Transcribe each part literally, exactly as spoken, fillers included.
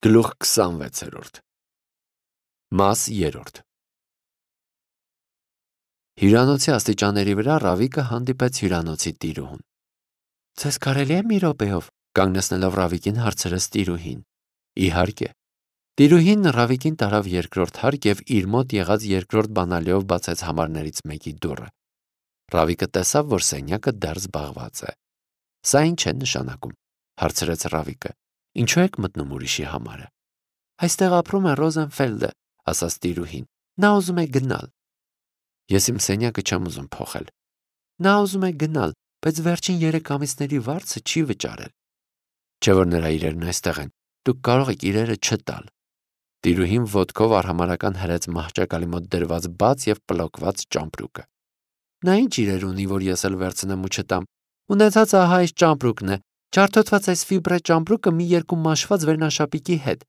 Գլուխ քսանվեցերորդ Մաս երրորդ Հյուրանոցի աստիճանների վրա Ռավիկը հանդիպեց հյուրանոցի տիրուհուն։ Ձեզ կարելի է մի րոպեով, կանգնեցնելով Ռավիկին հարցրեց տիրուհին։ Իհարկե։ Տիրուհին Ռավիկին տարավ երկրորդ հարկ և իր մոտ եղած երկրորդ բանալիով բացեց համարներից մեկի դուռը։ Ռավիկը տեսավ, որ սենյակը դեռ զբաղված է։ Սա ինչ է նշանակում, հարցրեց Ռավիկը։ Ինչու եք մտնում ուրիշի համարը։ Այստեղ ապրում է Ռոզենֆելդը, ասաց տիրուհին։ Նա ուզում է գնալ։ Ես իմ սենյակը չեմ ուզում փոխել։ Նա ուզում է գնալ, բայց վերջին երեք ամիսների վարձը չի վճարել։ Չէ՞ որ նրա իրերն այստեղ են, դուք կարող եք իրերը չտալ։ Տիրուհին ոտքով արհամարհական հրեց մահճակալի մոտ դրված բաց և պլոկված ճամպրուկը։ Նա ինչ իրեր ունի, որ ես էլ վերցնեմ ու չտամ։ Ունեցած ահա այս ճամպրուկն է, ջարդոտված այս ֆիբրե ճամպրուկը մի երկու մաշված վերնաշապիկի հետ։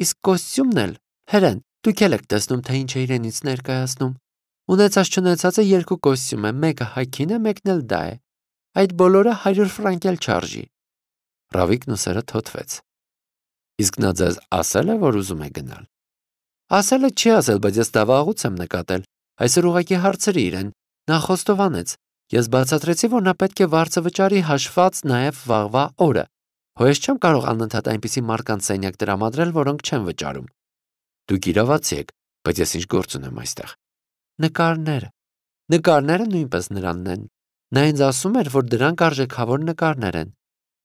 Իսկ կոստյումն էլ, հրեն, դուք էլ եք տեսնում, թե ինչ է իրենից ներկայացնում։ Ունեցած չունեցածը երկու կոստյում է, մեկը հագին է, մեկն էլ դա է։ Այդ բոլորը հարյուր ֆրանկ էլ չարժի։ Ռավիկն ուսերը թոթվեց։ Իսկ նա ձեզ ասել է, որ ուզում է գնալ։ Ասել է չի ասել, բայց ես դա վաղուց եմ նկատել։ Այսօր ուղղակի հարցրի իրեն, նա խոստովանեց։ Ես բացատրեցի, որ նա պետք է վարձը վճարի հաշված նաև վաղվա օրը։ Հո ես չեմ կարող անընդհատ այնպիսի մարդկանց սենյակ տրամադրել, որոնք չեն վճարում։ Դուք իրավացի եք, բայց ես ինչ գործ ունեմ այստեղ։ Նկարները։ Նկարները նույնպես նրանն են։ Նա ինձ ասում էր, որ դրանք արժեքավոր նկարներ են։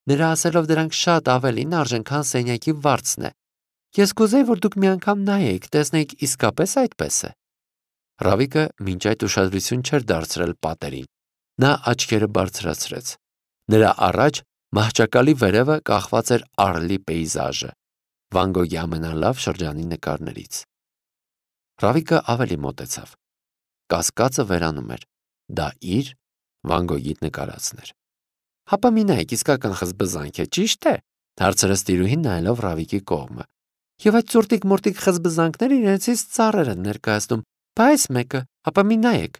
Նրա ասելով դրանք շատ ավելին արժեն, քան սենյակի վարձն է։ Ես կուզեի, որ դուք մի անգամ նայեիք, տեսնեիք իսկապես այդպես է։ Ռավիկը մինչ այդ ուշադրություն չէր դարձրել պատերին։ Նա աչքերը բարձրացրեց։ Նրա առաջ մահճակալի վերևը կախված էր Արլի պեյզաժը, Վան Գոգի ամենալավ շրջանի նկարներից։ Ռավիկը ավելի մոտեցավ։ Կասկածը վերանում էր։ Դա իր Վան Գոգի նկարածն էր։ Հապա մի նայեք, իսկական խզբզանք է, ճիշտ է, հարցրեց տիրուհին նայելով Ռավիկի կողմը։ Եվ այդ ծուրտիկ-մուրտիկ խզբզանքները իրենցից ծառեր են ներկայացնում, բայց մեկը, հապա մի նայեք։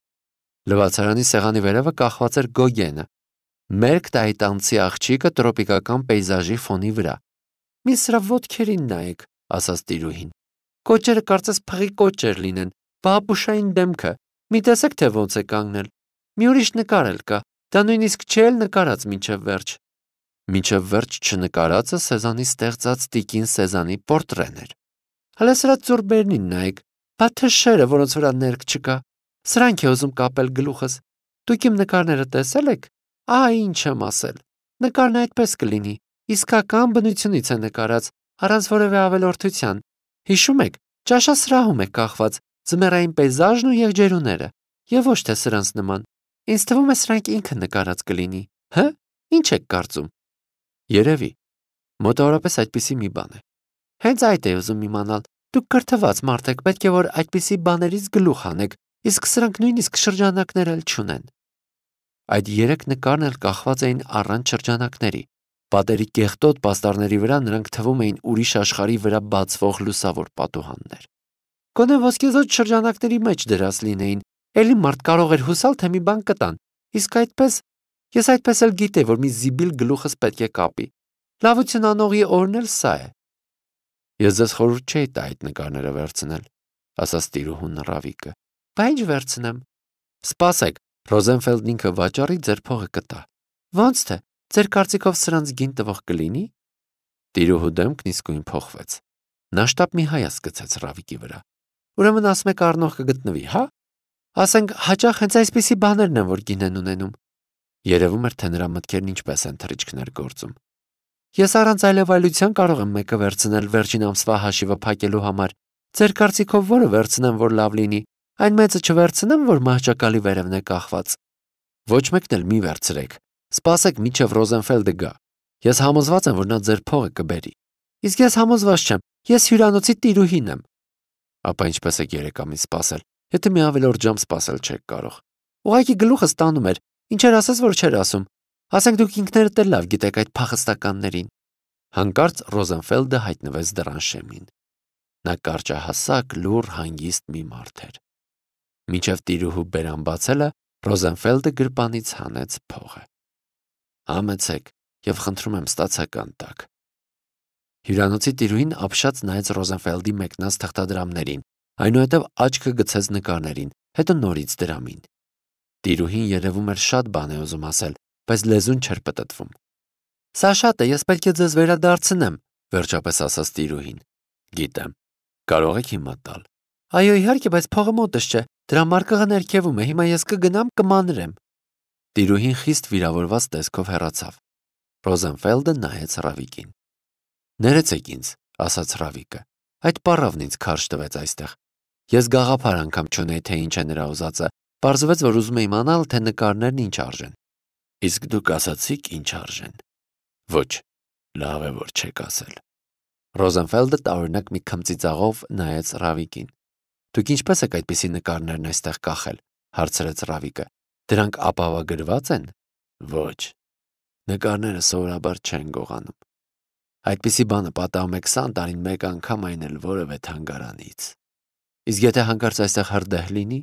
Լվացարանի սեղանի վերևը կախված էր Գոգենը։ Մերկ տայտանցի աղջիկը տրոպիկական պեյզաժի ֆոնի վրա։ Մի սրա ոտքերին նայեք, ասաց տիրուհին։ Կոճերը կարծես փղի կոճեր լինեն, բաբուշային դեմքը։ Մի տեսեք, թե ոնց է կանգնել։ Մի ուրիշ նկար էլ կա, դա նույնիսկ չէ էլ նկարած մինչև վերջ։ Մինչև վերջ չնկարածը Սեզանի ստեղծած տիկին Սեզանի պորտրեն էր։ Հələ սրա ծուրբերնին նայեք, բա թշերը, որոնց վրա ներք չկա։ Սրանք է ուզում կապել գլուխս։ Դուք իմ նկարները տեսել եք։ Ահա ինչ եմ ասել։ Նկարն այդպես կլինի, իսկական բնությունից է նկարած, առանց որևէ ավելորդության։ Հիշում եք, ճաշասրահում է կախված, ձմեռային պեյզաժն ու եղջերուները, եւ ոչ թե սրանց նման։ Ինձ թվում է սրանք ինքը նկարած կլինի։ Հը՞, ինչ եք կարծում։ Երևի, մոտավորապես այդպիսի մի բան է։ Հենց այդ է ուզում իմանալ։ Դուք կրթված մարդ եք, պետք է որ այդպիսի բաներից գլուխ հանեք, իսկ սրանք նույնիսկ շրջանակներ էլ չունեն։ Այդ երեք նկարն էլ կախված էին առանց շրջանակների։ Պատերի կեղտոտ պաստառների վրա նրանք թվում էին ուրիշ աշխարհի վրա բացվող լուսավոր պատուհաններ։ Գոնե ոսկեզօծ շրջանակների մեջ դրած լինեին, էլի մարդ կարող էր հուսալ, թե մի բան կտան։ Իսկ այդպես, ես այդպես էլ գիտեի, որ մի զիբիլ գլուխս պետք է կապի։ Լավություն անողի օրն էլ սա է։ Ես ձեզ խորհուրդ չէի տա այդ նկարները վերցնել, ասաց տիրուհուն Ռավիկը։ Բա ինչ վերցնեմ։ Սպասեք, Ռոզենֆելդն ինքը վաճառի ձեր փողը կտա։ Ոնց թե, ձեր կարծիքով սրանց գին տվող կլինի։ Տիրուհու դեմքն իսկույն փոխվեց։ Նա շտապ մի հայացք գցեց Ռավիկի վրա։ Ուրեմն ասում եք առնող կգտնվի, հա։ Ասենք հաճախ հենց այսպիսի բաներն են, որ գին են ունենում։ Երևում էր, թե նրա մտքերն ինչպես են թռիչքներ գործում։ Ես առանց այլևայլության կարող եմ մեկը վերցնել վերջին ամսվա հաշիվը փակելու համար։ Ձեր կարծիքով որը վերցնեմ, որ լավ լինի։ Այն մեծը չվերցնեմ, որ մահճակալի վերևն է կախված։ Ոչ մեկն էլ մի վերցրեք։ Սպասեք, մինչև Ռոզենֆելդը գա։ Ես համոզված եմ, որ նա ձեր փողը կբերի։ Իսկ ես համոզված չեմ։ Ես հյուրանոցի տիրուհին եմ։ Ապա ինչպես եք երեք ամիս սպասել, եթե մի ավելորդ ժամ սպասել չեք կարող։ Ուղղակի գլուխս տանում էր։ Ինչեր ասես, որ չէր ասում։ Ասենք դուք ինքներդ էլ լավ գիտեք այդ փախստականներին։ Հանկարծ Ռոզենֆելդը հայտնվեց դռան շեմին։ Նա կարճահասակ, լուռ, հանգիստ մի մարդ էր։ Մինչև տիրուհու բերան բացելը Ռոզենֆելդը գրպանից հանեց փողը։ Համեցեք եւ խնդրում եմ ստացական տակ։ Հյուրանոցի տիրուհին ապշած նայեց Ռոզենֆելդի մեկնած թղթադրամներին, այնուհետև աչքը գցեց նկարներին, հետո նորից դրամին։ Տիրուհին երևում էր շատ բան է ուզում ասել, բայց լեզուն չէր պտտվում։ «Սա շատ է, ես պետք է ձեզ վերադարձնեմ», վերջապես ասաց տիրուհին։ «Գիտեմ, կարող եք հիմա տալ»։ «Այո, իհարկե, բայց փողը մոտս չէ, դրամարկղը ներքևում է, հիմա ես կգնամ կմանրեմ»։ Տիրուհին խիստ վիրավորված տեսքով հեռացավ։ Ռոզենֆելդը նայեց Ռավիկին։ «Ներեցեք ինձ», ասաց Ռավիկը, «այդ պառավն ինձ քարշ տվեց այստեղ։ Ես գաղափար անգամ չունեի, թե ինչ է նրա ուզածը, պարզվեց, որ ուզում է իմանալ, թե նկարներն ինչ արժեն»։ «Իսկ դուք ասացիք ինչ արժեն»։ «Ոչ, լավ է, որ չեք ասել»։ Ռոզենֆելդը տարօրինակ մի քմծիծաղով նայեց Ռավիկին։ «Դուք ինչպես եք այդպիսի նկարներն այստեղ կախել», հարցրեց Ռավիկը։ «Դրանք ապահովագրված են»։ «Ոչ, նկարները սովորաբար չեն գողանում։ Այդպիսի բանը պատահում է քսան տարին մեկ անգամ, այն էլ որևէ թանգարանից։ Իսկ եթե հանկարծ այստեղ հրդեհ լինի»։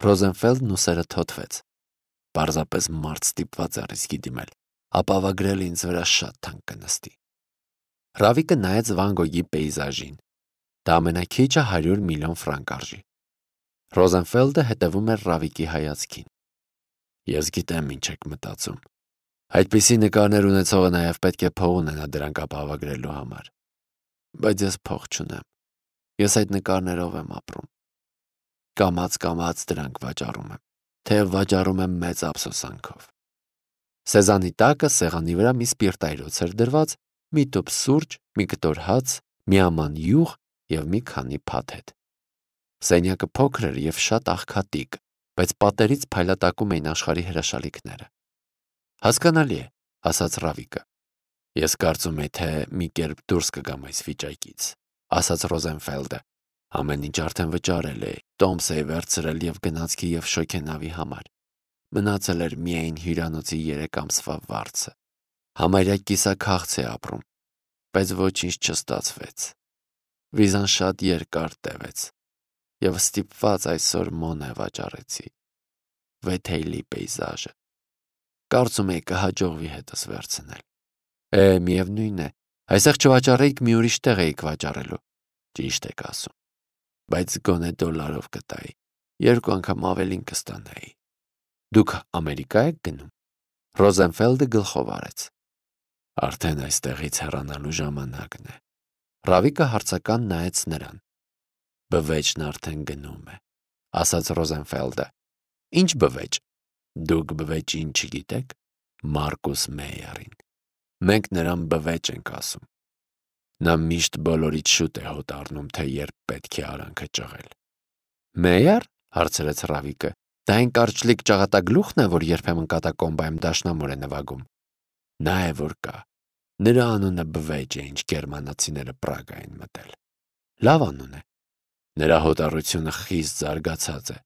Ռոզենֆելդն ուսերը թոթվեց։ «Պարզապես մարդ ստիպված է ռիսկի դիմել, ապահովագրել ինձ վրա շատ թանկ կնստի»։ Ռավիկը նայեց Վան Գոգի պեյզաժին։ Դա ամենաքիչը հարյուր միլիոն ֆրանկ արժի։ Ռոզենֆելդը հետևում էր Ռավիկի հայացքին։ «Ես գիտեմ ինչ եք մտածում։ Այդպիսի նկարներ ունեցողը նաև պետք է փող ունենա դրանք ապահովագրելու համար։ Բայց ես փող չունեմ։ Ես այդ նկարներով եմ ապրում։ Կամաց-կամաց դրանք վաճառում եմ, թեև վաճառում եմ մեծ ափսոսանքով»։ Սեզանի տակը սեղանի վրա մի սպիրտայրոց էր դրված, մի տուփ սուրճ, մի կտոր հաց, մի աման յուղ և մի քանի փաթեթ։ Սենյակը փոքր էր և շատ աղքատիկ, բայց պատերից փայլատակում էին աշխարհի հրաշալիքները։ «Հասկանալի է», ասաց Ռավիկը։ «Ես կարծում էի, թե մի կերպ դուրս կգամ այս վիճակից», ասաց Ռոզենֆելդը։ «Ամեն ինչ արդեն վճարել էի, տոմս էի վերցրել և գնացքի և շոգենավի համար։ Մնացել էր միայն հյուրանոցի երեք ամսվա վարձը։ Համարյա կիսաքաղց է ապրում, բայց ոչինչ չստացվեց։ Վիզան շատ երկար տևեց, և ստիպված այսօր Մոնե վաճառեցի։ Վեթեյլի պեյզաժը։ Կարծում էի կհաջողվի հետս վերցնել։ Է, միևնույն է, այստեղ չվաճառեիք, մի ուրիշ տեղ էիք վաճառելու։ Ճիշտ եք ասում։ Բայց գոնե դոլարով կտայի, երկու անգամ ավելին կստանայի։ Դուք Ամերիկա եք գնում։ Ռոզենֆելդը գլխով արեց։ Արդեն այստեղից հեռանալու ժամանակն է։ Ռավիկը հարցական նայեց նրան։ Բվեճն արդեն գնում է, ասաց Ռոզենֆելդը։ Ինչ բվեճ։ Դուք բվեճին չգիտեք։ Մարկուս Մեյերին։ Մենք նրան բվեճ ենք ասում։ Նա միշտ բոլորից շուտ է հոտ առնում, թե երբ պետք է արանքը ճղել։ Մեյեր, հարցրեց Ռավիկը։ Դա այն կարճլիկ ճաղատագլուխն է, որ երբեմն կատակոմբայում դաշնամուր է նվագում։ Նա է որ կա։ Նրա անունը բվեճ է, ինչ գերմանացիները Պրագա են մտել։ Լավ անուն է։ Նրա հոտառությունը խիստ զարգացած է։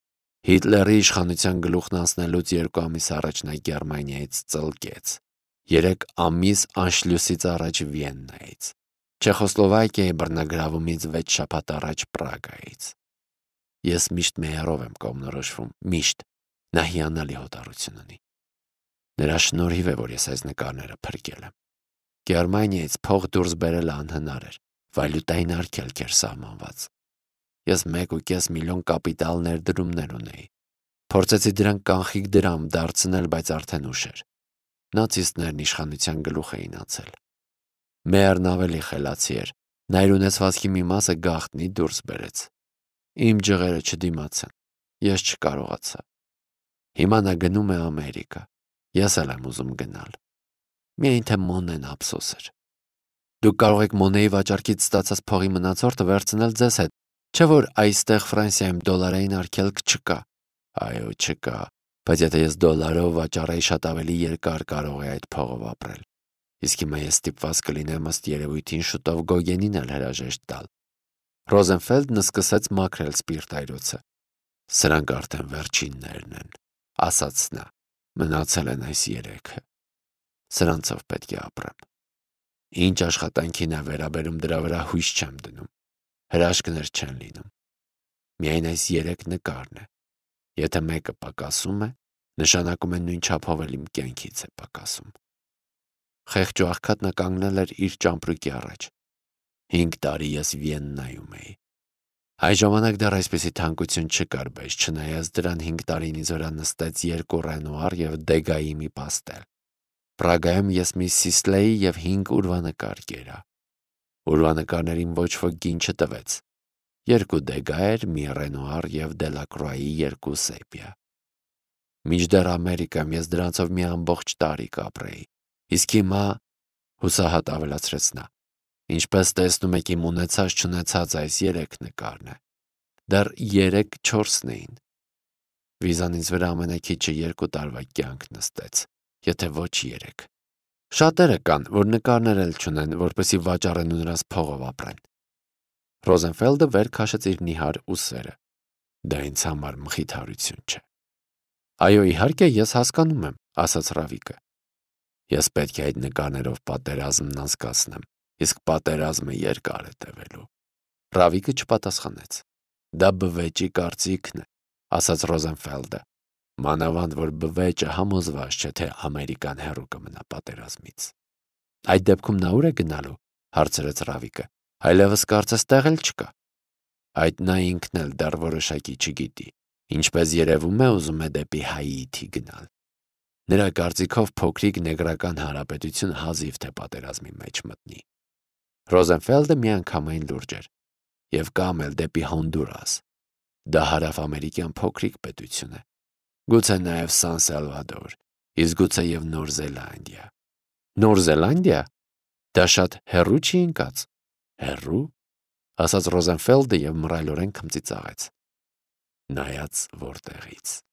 Հիտլերի իշխանության գլուխն անցնելուց երկու ամիս առաջ նա Գերմանիայից ծլկեց։ Երեք ամիս Անշլյուսից առաջ Վիեննայից։ Չեխոսլովակիայի բռնագրավումից վեց շաբաթ առաջ Պրագայից։ Ես միշտ Մեյերով եմ կողմնորոշվում, միշտ։ Նա հիանալի հոտառություն ունի։ Նրա շնորհիվ է, որ ես այս նկարները փրկել եմ։ Գերմանիայից փող դուրս բերելը անհնար էր, վալյուտային արգելք էր սահմանված։ Ես մեկ ու կես միլիոն կապիտալ ներդրումներ ունեի։ Փորձեցի դրանք կանխիկ դրամ դարձնել, բայց արդեն ուշ էր։ Նացիստներն իշխանության գլուխ էին անցել։ Մեյերն ավելի խելացի էր, նա իր ունեցվածքի մի մասը գաղտնի դուրս բերեց։ Իմ ջղերը չդիմացան, ես չկարողացա։ Հիմա նա գնում է Ամերիկա, ես էլ եմ ուզում գնալ։ Միայն թե Մոնեն ափսոս էր։ Դուք կարող եք Մոնեի վաճառքից ստացած փողի մնացորդը վերցնել ձեզ հետ, չէ՞ որ այստեղ Ֆրանսիայում դոլարային արգելք չկա։ Այո, չկա, բայց եթե ես դոլարով վաճառեի, շատ ավելի երկար կարող է այդ փողով ապրել։ Իսկ հիմա ես ստիպված կլինեմ ըստ երևույթին շուտով Գոգենին էլ հրաժեշտ տալ։ Ռոզենֆելդն սկսեց մաքրել սպիրտայրոցը։ Սրանք արդեն վերջիններն են, ասաց նա։ Մնացել են այս երեքը։ Սրանցով պետք է ապրեմ։ Ինչ աշխատանքին է վերաբերում, դրա վրա հույս չեմ դնում։ Հրաշքներ չեն լինում։ Միայն այս երեք նկարն է։ Եթե մեկը պակասում է, նշանակում է նույն չափով էլ իմ կյանքից է պակասում։ Խեղճ ու աղքատ նա կանգնել էր իր ճամպրուկի առաջ։ Հինգ տարի ես Վիեննայում էի։ Այս ժամանակ դեռ այսպիսի թանկություն չկար, բայց չնայած դրան հինգ տարին ինձ վրա նստեց երկու Ռենուար և Դեգայի մի պաստել։ Պրագայում ես մի Սիսլեի և հինգ ուրվանկար կերա։ Ուրվանկարներին ոչ ոք գին չտվեց։ Երկու Դեգա էր, մի Ռենուար և Դելակրուայի երկու Սեպիա։ Մինչդեռ Ամերիկայում ես դրանցով մի ամբողջ տարի կապրեի, իսկ հիմա, հուսահատ ավելացրեց նա, ինչպես տեսնում եք, իմ ունեցած-չունեցած այս երեք նկարն է։ Դեռ երեք-չորսն էին։ Վիզան ինձ վրա ամենաքիչը երկու տարվա կյանք նստեց, եթե ոչ երեք։ Շատերը կան, որ նկարներ էլ չունեն, որպեսզի վաճառեն ու նրանց փողով ապրեն։ Ռոզենֆելդը վեր քաշեց իր նիհար ուսերը։ Դա ինձ համար մխիթարություն չէ։ Այո, իհարկե, ես հասկանում եմ, ասաց Ռավիկը։ Ես պետք է այդ նկարներով պատերազմն անցկացնեմ, իսկ պատերազմը երկար է տևելու։ Ռավիկը չպատասխանեց։ Դա բվեճի կարծիքն է, ասաց Ռոզենֆելդը, մանավանդ որ բվեճը համոզված չէ, թե Ամերիկան հեռու կմնա պատերազմից։ Այդ դեպքում նա ուր է գնալու, հարցրեց Ռավիկը, այլևս կարծես տեղ էլ չկա։ Այդ նա ինքն էլ դեռ որոշակի չգիտի, ինչպես երևում է ուզում է դեպի Հայիթի գնալ։ Նրա կարծիքով փոքրիկ Նեգրական հանրապետություն հազիվ թե պատերազմի մեջ մտնի։ Ռոզենֆելդը միանգամայն լուրջ էր, և կամ էլ դեպի Հոնդուրաս։ Դա հարավ-ամերիկյան փոքրիկ պետություն է։ Գուցե նաև Սան Սալվադոր, իսկ գուցե և Նոր Զելանդիա։ Նոր Զելանդիա։ Դա շատ հեռու չի ընկած։ Հեռու, ասաց Ռոզենֆելդը և մռայլորեն քմծիծաղեց։ Նայած որտեղից։